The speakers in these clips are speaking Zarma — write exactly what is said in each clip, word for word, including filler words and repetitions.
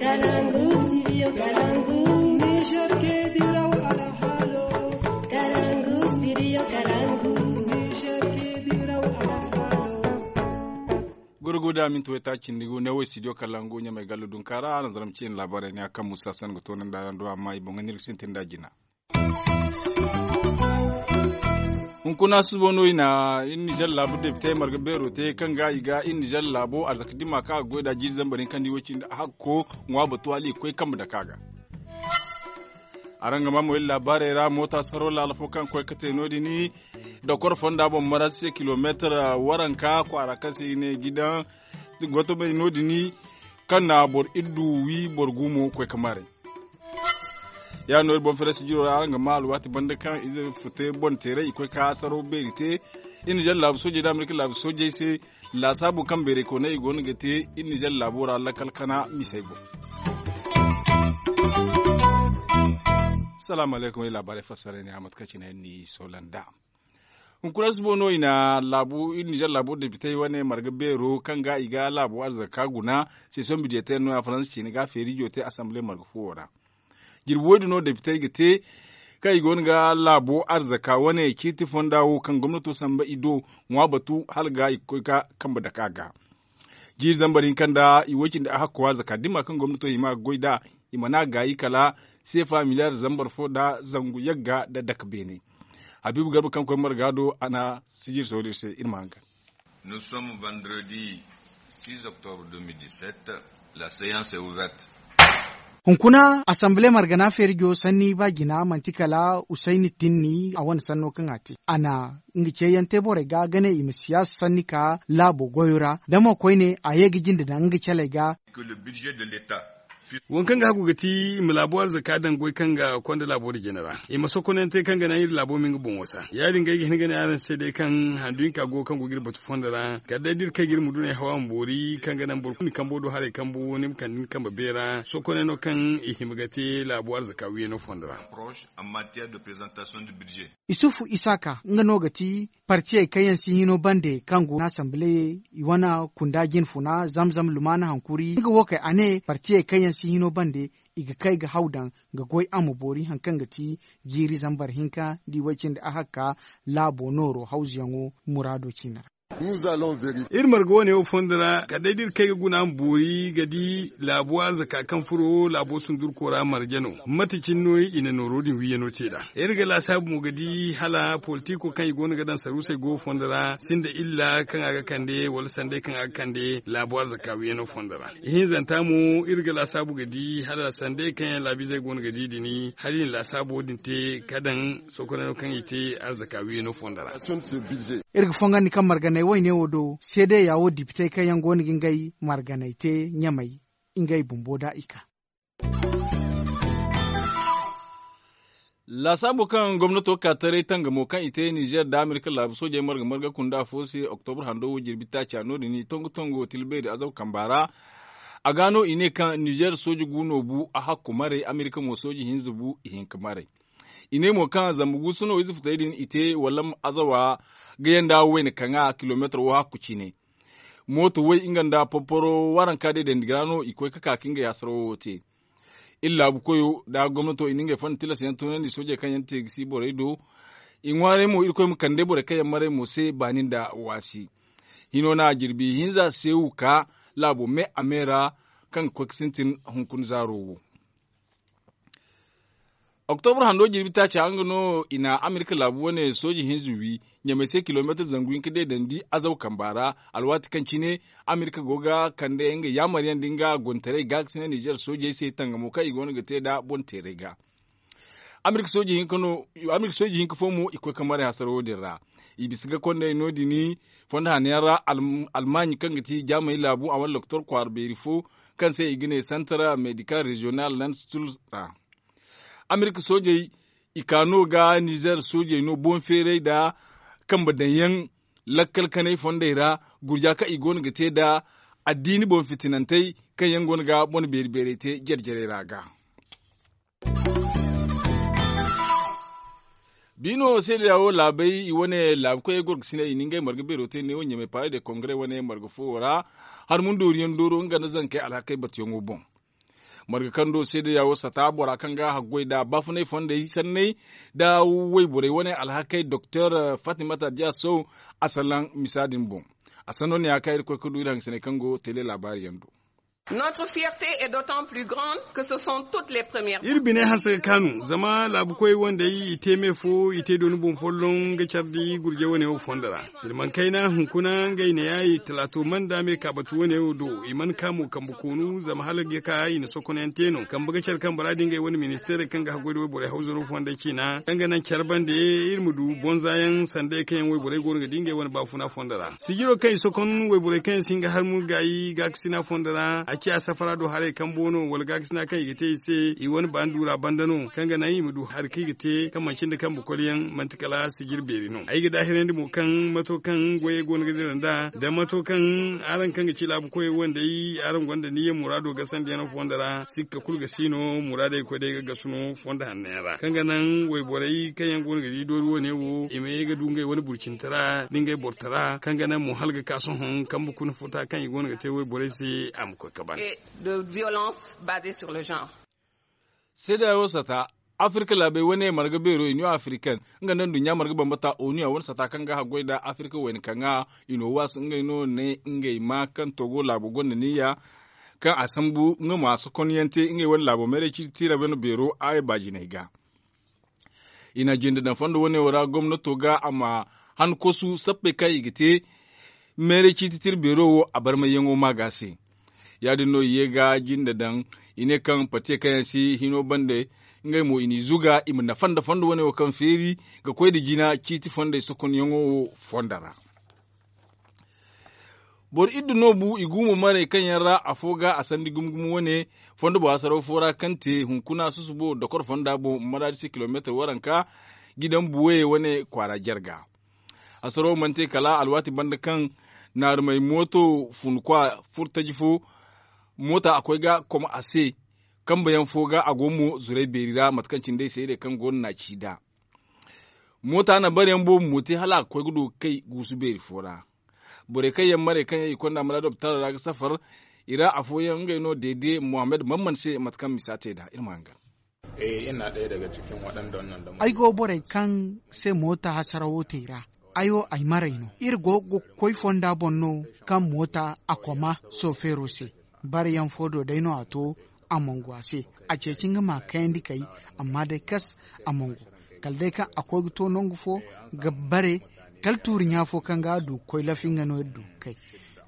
Kalangu, studio Kalangu. Niger ke diraw alhalo. Kalangu, studio Kalangu. Niger ke diraw alhalo. Gurguda minti wayta cindi gu ne wo studio Kalangu ɲamay gallu dunkaara a na zarma ciine laabaarey ne a kaŋ musa san ga toonandi araŋ do amma i boŋ ga ne iri ga sintin da jina. Hunkuna susubo no i na iri nizer laabu depite marga beero te kaŋ ga i ga iri nizer laabo arzaka dima kaŋ a ga goy nd'a jiiri zambar hinka nda i way cindi hakko ŋwa batu hala i ga koy kambe dake a ga. Araŋ ga maa mo iri laabaarey ra moota saro laala fo kaŋ koy ga te no- din dokor fonda boŋ marasi se kilomeetar waranka kwaara kaŋ se i ga ne gidan gotomey no- din kaŋ na boro iddu wi boro gu mo ga koy ga maarey. Ya- din no iri boŋ fereesi jiro ra araŋ ga maa alwaati banda kaŋ ize fute boŋ teeray i koy ga saro beeri te iri nizer laabu soojey nda amerika laabu soojey se. Laasaabo kaŋ beeray koonay i go no ga te iri nizer laabo ra lakkal kana misey boŋ. Salaamu alaykum iri laabaarey fassara ne a mate kaŋ cine iri n'i soola nd'a. Hunkuna susubo no i na laabu iri nizer laabo depitey wane marga beero kaŋ ga i ga laabo arzaka guna. Sesion bidiyeteer no- ya faransa ciine ga feerijo te asanbile marga fuwo ra. Jirbi woy din no depitey ga te kaŋ i go no ga laabo arzaka wane ciiti fonda wo kaŋ gomnato samba i do ŋwa batu hala ga i ga koy ga kambe dake a ga. Jiiri zambar hinka nda i way cindi a hakko arzaka dima kaŋ gomnato hima ga goy nd'a i mana gaayi kala seefa miliyar zambar fo nda zangu yagga nda dake beene. Habiibu garba kaŋ koy marga do a na sijiri sohõ da iri se iri ma haŋ ga. Nous sommes vendredi six octobre deux mille dix-sept. La seance est ouverte. Hunkuna asanbile margana feerijo sanni ba jina manti kala usayni tinni a wane sanno kaŋ a te a na nga ceeyaŋ te borey ga ga ne i ma siyaasa sanni ka laabo goyo ra da mo koyne a ye ga jinde daŋ nga caley ga. Wo kaŋ ga hagu ga ti i ma laabo arzaka daŋ goy kaŋ ga konda laabo din jina ra i ma sokonante kaŋ ga naŋ iri laabo ma nga boŋo sa ya- din ga ay ga hin ga ne araŋ se day kaŋ handu hinka go kaŋ go ga iri batu fondo ra kala day da iri kay ga iri ma dunay hawa ma boori kaŋ ga naŋ boro kulu ni kambo do haray kambo ni ma kande ni kambe beera sokonay no kaŋ i hima ga te laabo arzaka wiyano fondo ra. Isufu isaaka nga no ga ti partiyey kaŋ yaŋ si hino bande kaŋ go na asamble i wane kunda jinfuna zamzam lumaana hankuri nga wo kay a ne partiyey kaŋ yaŋ si hino bande i ga kay ga haw daŋ ga goy a ma boori hari kaŋ ga ti jiiri zambar hinka nda i way cindi a hakka laabo nooro hawzuyaŋo muraado ciine ra. Iri marga wane wo fondo ra kala day da iri kay ga guna ma boori ga di laabo arzaka kaŋ furo laabo sundurko ra marje no mate cine no i na nooro din wiyano te nd'a. Iri ga laasaabu mo ga di hala politiko kaŋ i go no ga daŋ saruusey go fondo ra sinda illa kaŋ a ga kande wala sanday kaŋ a ga kande laabo arzaka wiyano fondo ra. Ihinzanta mo iri ga laasaabu ga di hala sanday kaŋ yaŋ laabiizey go no ga di din hala i na laasaabo din te ka daŋ sokonay no kaŋ i te arzaka wiyano fondo ra. Iri ga fongandi kaŋ marganay wayne wo do seedeya wo dipitey kaŋ yaŋ go no ga ngey marganay te ɲamay ngey bumbo da i ka. Laasaabo kaŋ gomnato ga ka taray tangamo kaŋ i te nizer nda amerika laabu soojey marga marga kunda afo se oktobra hando wo jirbi taaca no- din i tongu tongu tilbeeri azaw kamba ra. A ga no i ne kaŋ nizer sooji gu no bu a hakku maray amerika mo sooji hinza bu i hinka maray. I ne mo kaŋ zamba guusu no ize futey din i te wala azawa ga yanda wayna kaŋa kilometar wo hakku cine. Mooto way nga nda porporo waranka day dandi ga ra no i koy ga ka ga ngey hasarawo wo te. Iri laabu koyo nda gomnato i na ngey fonda tilas yaŋ tunandi soojey kaŋ yaŋ te ga si borey do. I ŋwaaray mo irkoy ma kande borey kaŋ yaŋ maray mo se baani nda waasi. Hino no a jirbi hinza seewu ka laabo me a me ra kaŋ ga koy ga sintin hunkuna zaaro wo. Oktobra hando jirbi taaca nga no i na amerika laabu wane sooji hinza wi ɲamay se kilomeetar zangu hinka day dandi azaw kamba ra. Alwaati kaŋ cine amerika go ga kande nga yaamaryaŋ nda nga gontaray gaakasinay nizer soojey se tangamo kaŋ i go no ga te nda boŋ teeray ga. Amerika sooji hinka fo mo i koy ga maray hasaro wo- din ra. I bisa ga kondey no- din fondo hanayaŋ ra almaaɲi kaŋ ga ti jaamay laabu a wane lokotor kwaara beeri fo kaŋ se i ga ne santar medikal reziyonal land stul ra. Amerika soojey i ka no ga nizer soojey no boŋ feeray nda kambe daŋyaŋ lakkal kanay fondey ra gurja kaŋ i go no ga te nda addiini boŋ fitinantey kaŋ yaŋ go no ga bone beeri beerey te jare jarey ra ga. Biino seedeya wo laabey i wane laabu koyey gorgasiney i na ngey marga beero te neewo ɲamay paale de kongare wane marga foowo ra. Har mundooriyaŋ dooro nga nda zankey alhakey batuyaŋo boŋ. Marga kaŋ do seedeya wo sata bora kaŋ ga a haggoy nda baafunay fondey sanney nda wayborey wane alhakey doktor fatimata diya sow a salaŋ misa din boŋ. A sanno ne ya kaŋ iri koy ga du iri hangasiney kaŋ go tele laabaari yaŋ do. Notre fierté est d'autant plus grande que ce sont toutes les premières. Iri bine hanse ga kaanu zama laabukoy wandey i te me fo i te dooni boŋ folloŋ ga care di gurje wane wo fondo ra. Silmaŋ kayna hunkuna ngey ne ya i talaato mana nda me kaabatu wane wo do i mana ka mo kambe koonu zama hala ga ka i na sokonyaŋ te no kambe ga care kaŋ bora di ngey wane ministeerey kaŋ ga haggoy nda wayborey hawzaro fondey ciina kaŋ ga naŋ care bande iri ma du bonza yaŋ sandey kaŋ yaŋ wayborey go no ga di ngey wane baafuna fondo ra. Sijiro kaŋ i sokon wayborey kaŋ yaŋ si hin ga harmu gaayi gaakasina fondo ra a ciya safara do haray kambo no wala gaakasina kaŋ i ga te i se i wane baani duura banda no kaŋ ga naŋ i ma du hari kaŋ i ga te kaŋ manci nda kambe koli yaŋ manti kala sijir beeri no ay ga daahirandi mo kaŋ mato kaŋ goyey go no ga dira nd'a da mato kaŋ araŋ kaŋ ga ci laabu koyey wandey araŋ gonda niyya muraado gasandiyaŋ fondo ra sikka kulu ga si no muraadey koy day ga gasu no fondo hanno yaŋ ra kaŋ ga naŋ wayborey kaŋ yaŋ go no ga di doori wane wo i ma ye ga du ngey wane burcintara nda ngey bortara kaŋ ga naŋ mo hala ga ka sohõ kambe kuna futa kaŋ i go no ga te wayborey se a ma koy ka ban. De violence basée sur le genre. Seedeya wo sata afirka laabey wane marga beero iniyo afirkan nga nda nduɲɲa marga bambata oniya wane sata kaŋ ga haggoy nda afirka wayna kaŋ ga inowas ngey no ne ngey ma kaŋ togo laabo gonda niyya kaŋ a sambu nga ma sokonyaŋ te ngey wane laabo meeray ciiti tiira wane beero a baajiney ga. I na jinde daŋ fondo wane wo ra gomnato ga a ma han kosu sappey kaŋ i ga te meeray ciiti tira beero wo a barmayyaŋo ma ga se. Ya- din no i ye ga jinde daŋ i ne kaŋ patiye kaŋ yaŋ si hino bande ngey mo i n'i zuga i ma nafa nda fondo wane wo kaŋ feeri ga koy nda jina ciiti fondey sokonyaŋo wo fondo ra. Boro iddu no bu i gumo marey kaŋ yaŋ ra afo ga a sandi gumo gumo wane fondo bo hasaraw fo ra kaŋ te hunkuna susubo dokor fonda boŋ maraadi se kilomeetar waranka gidan buwey wane kwaara jarga. Hasaraw mana te kala alwaati banda kaŋ naarumey mooto fun kwa furtaji fo moota a koy ga kom a se kambe yaŋ fo ga a go mo zuray beeri ra mate kaŋ cindey seedey kaŋ go no na a ci nd'a. Moota na bare yaŋ boobo mo te hala a ga koy ga du ga kay guusu beeri fo ra. Borey kaŋ yaŋ marey kaŋ yaŋ i konda maraado bataaro ra ga safar i ra afooyaŋ ngey no deede mohammed mamman se mate kaŋ misa te nd'a iri ma hangan. Ay go borey kaŋ se moota hasarawo te i ra. Ay wo ay marey no iri go ga koy fonda boŋ no kaŋ moota a koma sofeero se. Bare yaŋ fo do day no a to a mongo a se. A ceeci nga ma kayandi kay amma day kas a mongo kala day kaŋ a koy ga to nangu fo ga bare kala tuuri ɲa fo kaŋ ga a du ga koy lafi nga no iri du ga kay.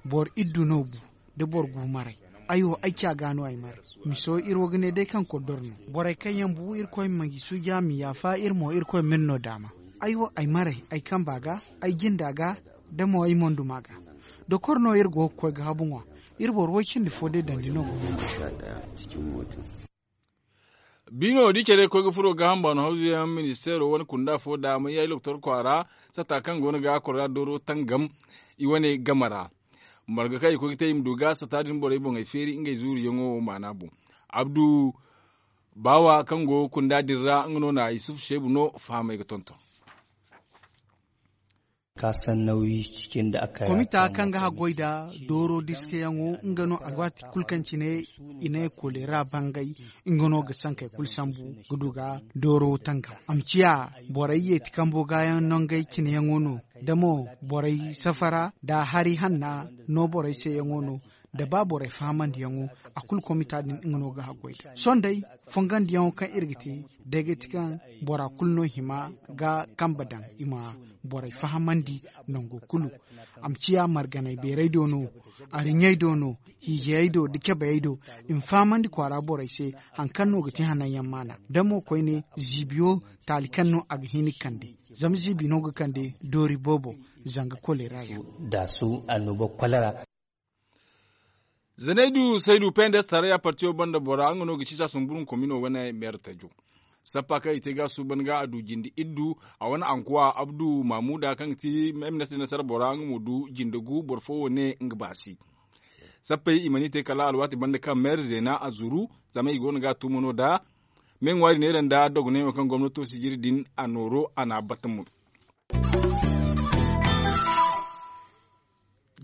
Boro iri du no bu da boro gu maray. Ay wo ay ca ga no ay maray. Miso iri wo ga ne day kaŋ koddor no. Borey kaŋ yaŋ bu irkoy ma i suuja ma yaafa iri mo irkoy ma iri no daama. Ay wo ay maray ay kamba ga ay jinda ga da mo ay monduma ga. Dokor no iri go ga koy ga habu ŋwa. Iri boro way cindi fo day dandi no go ga. Biino da i care koy ga furo gaaham baano hawzuyaŋ ministeero wane kunda fo da mayyayi lokotor kwaara sata kaŋ go no ga kora dooro tangam i wane game ra. Marga kaŋ i koy ga te i ma du ga sata din borey boŋey feeri ngey zuuriyaŋo maana boŋ. Abdu baawa kaŋ go kunda din ra nga no na yusuf seebu no fahamey ga tonton. Komita kaŋ ga haggoy nda dooro diskayaŋo nga no alwaati kulu kaŋ cine i ne kolera bangay. Nga no ga sankey kulu sambu ga du ga dooro tanga a ma ciya borey yeeti kambo gaayaŋ nangey cineyaŋo no da mo borey safara nda hari hanna no borey seyaŋo no. Da ba borey fahamandiyaŋo a kulu komita din nga no ga haggoy nda sohõ day fongandiyaŋo kaŋ iri ga te day ga ti kaŋ bora kulu no hima ga kambe daŋ i ma borey fahamandi nango kulu. A ma ciya marganay beeray do no, ariɲey do no, hiijayey do nda cabeyey do. I ma fahamandi kwaara borey se hari kaŋ no ga ti hananyaŋ maana da mo koyne ziibiyo taali kaŋ no a ga hin ga kande. Zama ziibi no ga kande doori boobo zanga kolera yaŋ. Zanaydu saydu pendes tarayya partiyo banda bora nga no ga ci saasumburun komino wane meera tajo. Sappa kaŋ i te ga suuban ga a du jinde iddu a wane ankuwa abdu mamuda kaŋ ga ti ministir nasara bora nga mo du jinde gu boro fo wo ne nga baasi. Sappey i mana i te kala alwaati banda kaŋ meera zeena a zuru zama i go no ga a tumo no da. Me ŋwaari neera nda dogonay wo kaŋ gomnato sijiri din a nooro a n'a batta mo.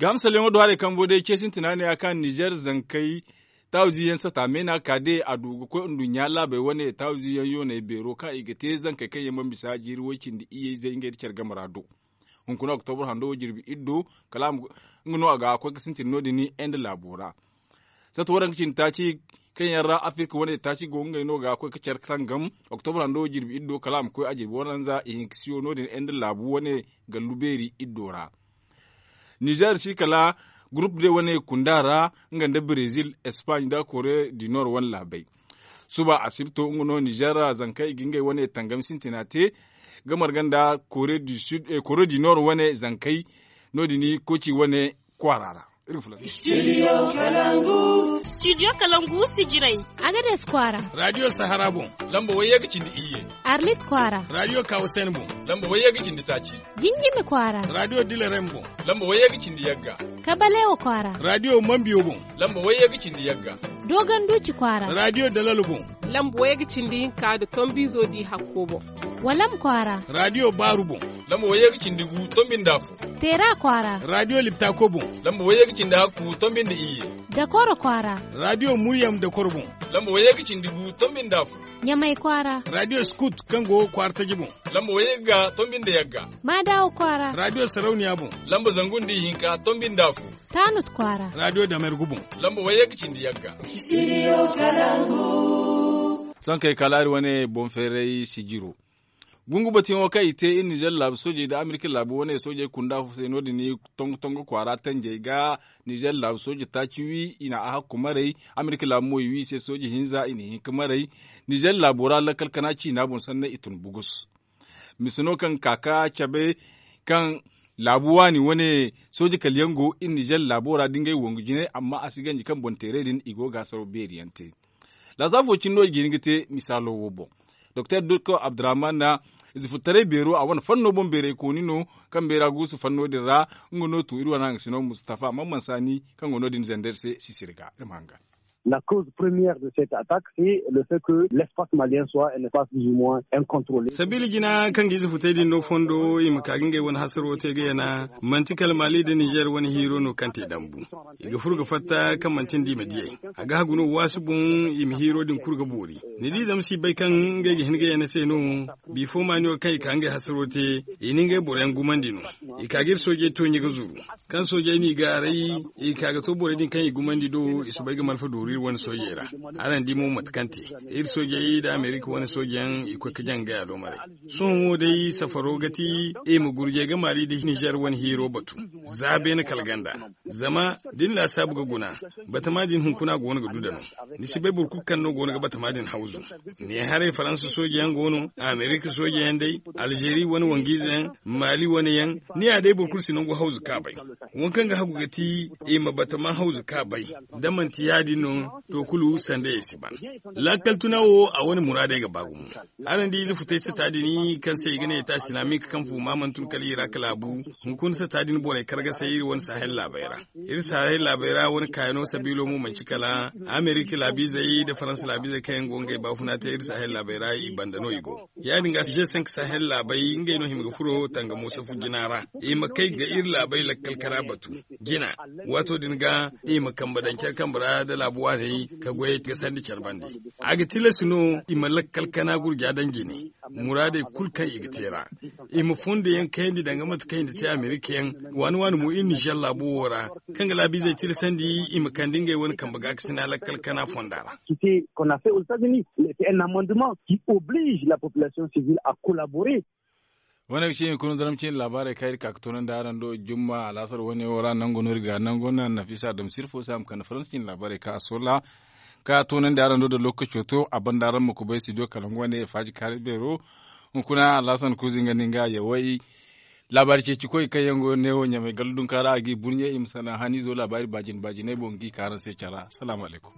Gahamsalyaŋo do haray kambo day ce sintina ne ya kaŋ nizer zankey Taawizi yaŋ sata meena ka de a du ga koy nduɲɲa laabey wane taawizi yaŋ yooney beero kaŋ i ga te zankey kaŋ yaŋ mana bisa jiiri way cindi iyye izey ngey nda care game ra do. Hunkuna oktobra hando jirbi iddo kala a ma nga no a ga koy ga sintin no- din inde laabo ra. Satta waranka cindi taaci kaŋ yaŋ ra afirka wane taaci go ngey no ga koy ga care kaŋ gam oktobra hando jirbi iddo kala a ma koy a jirbi waranza ihinkasiyo no- din inde laabu wane gallu beeri iddo ra. Nizer si kala gurup de wane kunda ra nga nda brezil espaaɲ nda kore du nord wane laabey. Suba asibto nga no nizer ra zankey ga ngey wane tangam sintina te ga marga nda kore du nord wane zankey no- din koci wane kwaara ra. Studio kalangu sijirey. Agades kwaara. Radiyo sahara boŋ. Lamba wayye ga cindi iyye. Arlit kwaara. Radiyo kawasen boŋ. Lamba wayye ga cindi taaci. Jinjimi kwaara. Radiyo dilarem boŋ. Lamba wayye ga cindi yagga. Kabalewa kwaara. Radiyo mambiyo boŋ. Lamba wayye ga cindi yagga. Dogon duuci kwaara. Radiyo dalal boŋ. Lamba wayye ga cindi hinka nda tombiizo di hakko boŋ. Walam kwaara. Radiyo baaru boŋ. Lamba wayye ga cindi gu tombi nda afo. Teera kwaara. Radiyo liptako boŋ. Lamba wayye ga cindi hakku tombi nda iyye. Dakoro kwaara. Radiyo muryam dakoro boŋ. Lamba wayye ga cindi gu tombi nda afo. Ɲamay kwaara. Radiyo skut kaŋ go kwaara taji boŋ. Lamba wayye ga tombi nda yagga. Maadawa kwaara. Radiyo sarauniya boŋ. Lamba zangu nda ihinka tombi nda afo. Taanut kwaara. Radiyo damergu boŋ. Lamba wayye ga cindi yagga. Sohõ kaŋ ay kaalaari wane boŋ feeray sijiro. Gungu batuyaŋo kaŋ i te iri nizer laabu soojey nda amerika laabu wane soojey kunda se no- din tongo tongo kwaara tanjey ga. Nizer laabu sooje taaci wi i na a hakku maray. Amerika laabu mo i wi i se sooje hinza i na hin ga maray. Nizer laabo ra lakkal kana ciina boŋ sanna i tun bugus. Mise no kaŋ ga ka ga cabe kaŋ laabu waani wane sooje kala yaŋ go iri nizer laabo ra da ngey wangu jine amma a si ganji kaŋ boŋ teeray din i go ga a saro beeri yaŋ te. Laasaafo cine no i ga hin ga te misaalo wo boŋ. Doktor dukko abdurrahman na ize furtaray beero a wane fanno boŋ beeray kooni no kaŋ beera guusu fanno din ra. Nga no tu iri wane haŋ ga sino mustafa mamman saani kaŋ go no- din zander se sisiri ga iri ma haŋ ga. La cause première de cette attaque c'est le fait que l'espace malien soit un espace du moins incontrôlé. Sabiila jina kaŋ ga ize futay din no fondo i ma ka ga ngey wane hasaro te ga yana manti kala mali nda nizer wane hiiro no kaŋ te dambu. I ga furo ga fatta kaŋ manti nda i ma diyey. A ga hagu no waasi boŋ i ma hiiro din kulu ga boori. Ni di zama si bay kaŋ ngey ga hin ga yana se no. Bifo maaniyo kaŋ i ka ngey hasaro te i na ngey boroyaŋ gumandi no. I ka ga iri soojey to ɲe ga zuru. Kaŋ soojey n'i gaaray i ka ga to borey din kaŋ i gumandi do i soobay ga malfa dooru iri wane soojey ra. Araŋ di mo mate kaŋ te iri soojey nda amerika wane soojeyaŋ i koy ga jaŋ ga gaya doomarey. Sohõ wo day safaro ga ti i ma gurjey ga maali nda nizer wane hiiro batu. Za beene kala ganda. Zama da ni laasaabu ga guna batama din hunkuna go no ga du da no. Ni si bay boro kulu kaŋ no go no ga batama din hawzu. Ne haray faransa soojeyaŋ go no amerika soojeyaŋ day, alzeeri wane wangu-ize yaŋ, maali wane yaŋ. Ni ya day boro kulu si nangu hawzu kaŋ a bay. Wo kaŋ ga hagu ga ti i ma batama hawzu kaŋ a bay. Da manti ya- din no to kulu sandayey si ban. Lakkal tuna wo a wane muraadey ga ba gumo. Araŋ di ize futay sata din kaŋ se i ga ne eta silamik kaŋ fu ma mana tun kala iraka laabu. Hunkuna sata din borey kargasay iri wane sahel laabey ra. Iri sahel laabey ra wane kaayano sabiilo mo manci kala amerika laabiizey nda faransa laabiizey kaŋ yaŋ go ngey baafuna te iri sahel laabey ra i banda no i go. Ya- din ga g cinq sahel laabey ngey no hima ga furo tangamo safu jina ra. I ma kay ga iri laabey lakkal kara batu jina. Waato din ga i ma kambe daŋ care kambe ra nda laabu waaney ka goyey ga sandi care bande. A ga tilas no i ma lakkal kana gurja daŋ jine muraadey kulu kaŋ i ga te ra. I ma fondo yaŋ kayandi danga mate kaŋ i na te amerika yaŋ. Waani waani mo iri nizer laabo wo ra kaŋ ga laabiizey tilasandi i ma kande ngey wane kambe gaakasina lakkal kana fonda ra. Qui fait qu'on a fait aux États-Unis, c'est un amendement qui oblige la population civile à collaborer. Wane ga ci hunkuna zarma ciine laabaarey kaŋ iri ka ga toonandi araŋ do jumma alaasar wane wo ra nango no iri ga nango naŋ nafisa adam sirfo se a ma kande faransa ciine laabaarey kaŋ a solla kaŋ a toonandi araŋ do da lokaco to a banda araŋ ma kubay studio kalangu wane faaji kaari beero. Hunkuna alaasar kuuzi nga no nga yaway. Laabaari ceeci koy kaŋ yaŋ go neewo ɲamay gallu dunka ra a g'i burɲe i ma salaŋ haniizo laabaari baajin baajiney boŋ g'i ka araŋ se care ra salaamu alaykum.